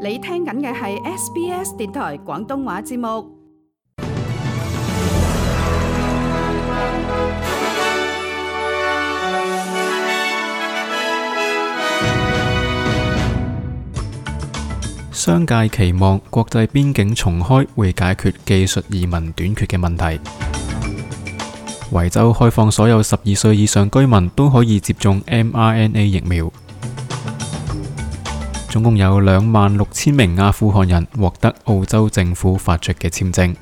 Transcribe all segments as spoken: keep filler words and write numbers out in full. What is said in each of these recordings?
你聽緊嘅係 S B S 電台廣東話節目。商界期望國際邊境重開會解決技術移民短缺嘅問題。維州開放所有十二歲以上居民都可以接種 M R N A 疫苗。總共有兩萬六千名阿富汗人獲得澳洲政府發出嘅簽證。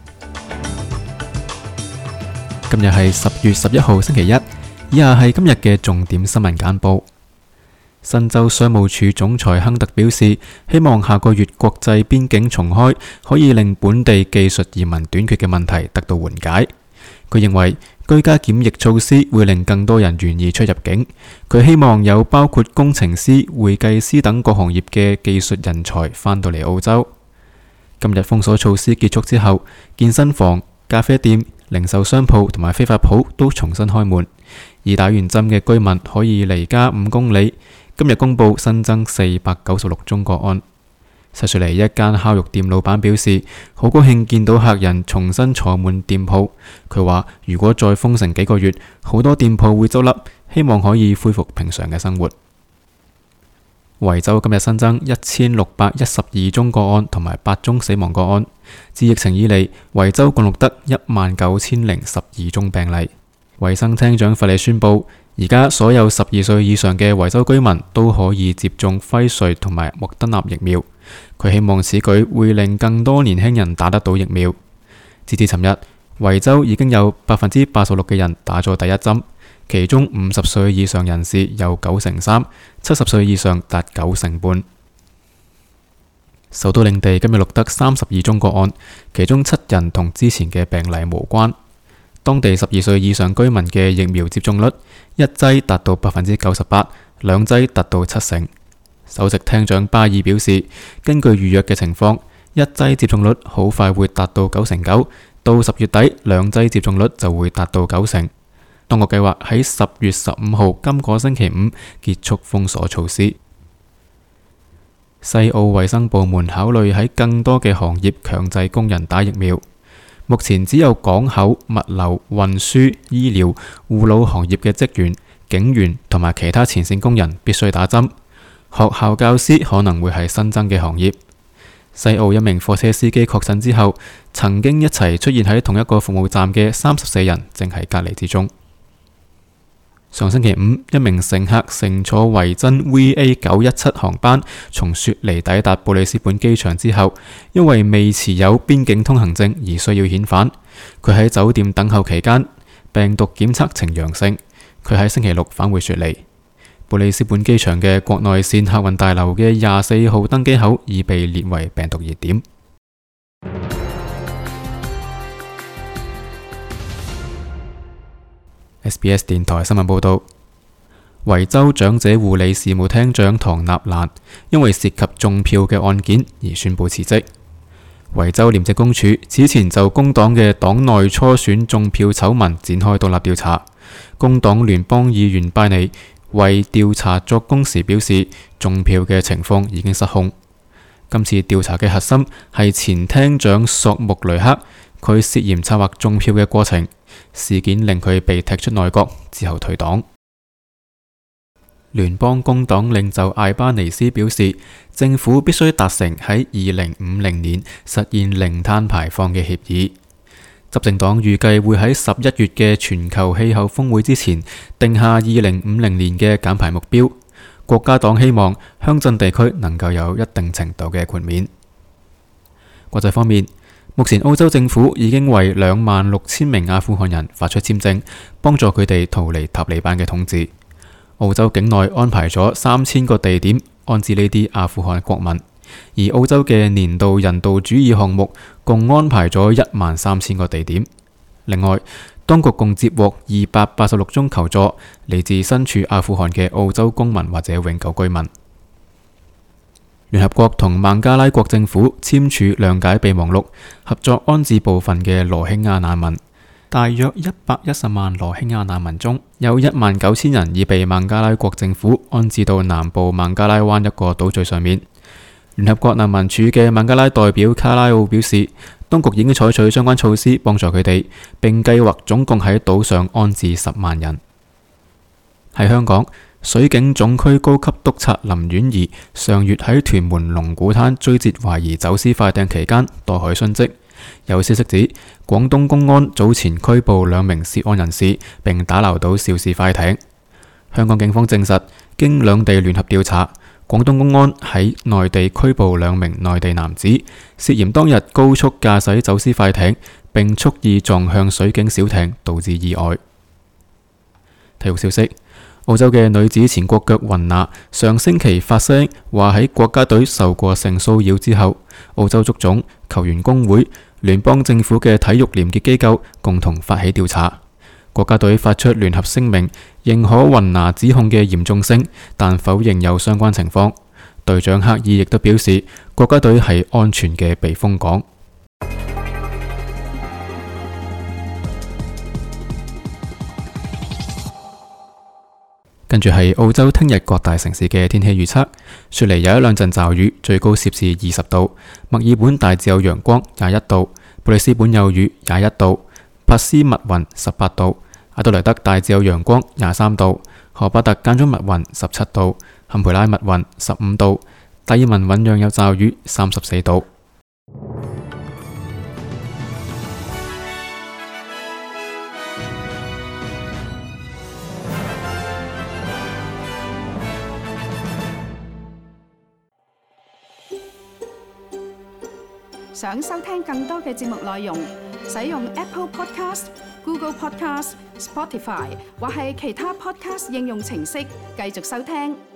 今日係十月十一號星期一，以下係今日嘅重點新聞簡報。新州商務處總裁亨特表示，希望下個月國際邊境重開可以令本地技術移民短缺嘅問題得到緩解。佢認為居家檢疫措施會令更多人願意出入境。佢希望有包括工程師、會計師等各行業嘅技術人才返到嚟澳洲。今日封鎖措施結束之後，健身房、咖啡店、零售商鋪同埋非法鋪都重新開門。已打完針嘅居民可以離家五公里。今日公布新增四百九十六宗個案。石雪梨一間烤肉店老闆表示，好高興見到客人重新坐滿店鋪。佢話如果再封城幾個月，好多店鋪會執笠，希望可以恢復平常嘅生活。維州今日新增一千六百一十二宗個案同埋八宗死亡個案。自疫情以嚟，維州共錄得一萬九千零十二宗病例。衛生廳長弗利宣布，而家所有十二歲以上嘅維州居民都可以接種輝瑞同埋莫德納疫苗。佢希望此舉會令更多年輕人打得到疫苗。截至尋日，維州已經有百分之八十六嘅人打咗第一針，其中五十歲以上人士有九成三，七十歲以上達九成半。首都領地今日錄得三十二宗個案，其中七人同之前嘅病例無關。當地十二歲以上居民嘅疫苗接種率，一劑達到百分之九十八，兩劑達到七成。首席廳長巴爾表示，根據預約嘅情況，一劑接種率好快會達到九成九，到十月底兩劑接種率就會達到九成。當局計劃喺十月十五號今個星期五結束封鎖措施。西澳衛生部門考慮喺更多嘅行業強制工人打疫苗。目前只有港口、物流、運輸、醫療、護老行業嘅職員、警員同埋其他前線工人必須打針。學校教師可能會係新增嘅行業。西澳一名貨車司機確診之後，曾經一齊出現喺同一個服務站嘅三十四人正喺隔離之中。上星期五，一名乘客乘坐維珍 V A 九一七航班從雪梨抵達布里斯本機場之後，因為未持有邊境通行證而需要遣返。佢喺酒店等候期間，病毒檢測呈陽性。佢喺星期六返回雪梨。布里斯本機場嘅國內線客運大樓嘅廿四號登機口已被列為病毒熱點。S B S 電台新聞報道，維州長者護理事務廳長唐納蘭因為涉及中票嘅案件而宣布辭職。維州廉政公署此前就工黨嘅黨內初選中票醜聞展開獨立調查。工黨聯邦議員拜尼為調查作供時表示，中票嘅情況已經失控。今次調查嘅核心係前廳長索穆雷克，佢涉嫌策劃中票嘅過程。事件令佢被踢出內閣，之後退黨。聯邦工黨領袖艾巴尼斯表示，政府必須達成喺二零五零年實現零碳排放嘅協議。執政黨預計會喺十一月嘅全球氣候峰會之前定下二零五零年嘅減排目標。國家黨希望鄉鎮地區能夠有一定程度嘅豁免。國際方面，目前澳洲政府已經為兩萬六千名阿富汗人發出簽證，幫助佢哋逃離塔利班嘅統治。澳洲境內安排咗三千個地點安置呢啲阿富汗國民，而澳洲嘅年度人道主義項目共安排咗一萬三千個地點。另外，當局共接獲二百八十六宗求助，嚟自身處阿富汗嘅澳洲公民或者永久居民。聯合國同孟加拉國政府簽署諒解備忘錄，合作安置部分嘅羅興亞難民。大約一百一十萬羅興亞難民中，有一萬九千人已被孟加拉國政府安置到南部孟加拉灣一個島嶼上面。聯合國難民署嘅孟加拉代表卡拉奧表示，當局已經採取相關措施幫助佢哋，並計劃總共喺島上安置十萬人。喺香港，水警總區高級督察林婉儀上月喺屯門龍鼓灘追截懷疑走私快艇期間墮海殉職。有消息指，廣東公安早前拘捕兩名涉案人士，並打撈到肇事快艇。香港警方證實，經兩地聯合調查，廣東公安喺內地拘捕兩名內地男子，涉嫌當日高速駕駛走私快艇，並蓄意撞向水警小艇，導致意外。體育消息：澳洲嘅女子前國腳雲拿上星期發聲話喺國家隊受過性騷擾之後，澳洲足總、球員工會、聯邦政府嘅體育廉潔機構共同發起調查。國家隊發出聯合聲明，認可雲拿指控嘅嚴重性，但否認有相關情況。隊長克爾亦都表示，國家隊係安全嘅避風港。跟住係澳洲聽日各大城市嘅天氣預測：雪梨有一兩陣驟雨，最高攝氏二十度；墨爾本大致有陽光，廿一度；布里斯本有雨，廿一度；珀斯密雲，十八度；阿德萊德大致有陽光，廿三度；荷巴特間中密雲，十七度；坎培拉密雲，十五度；達爾文醞釀有驟雨，三十四度。想收聽更多嘅節目內容，使用 Apple Podcast、Google Podcast、Spotify 或係其他 Podcast 應用程式繼續收聽。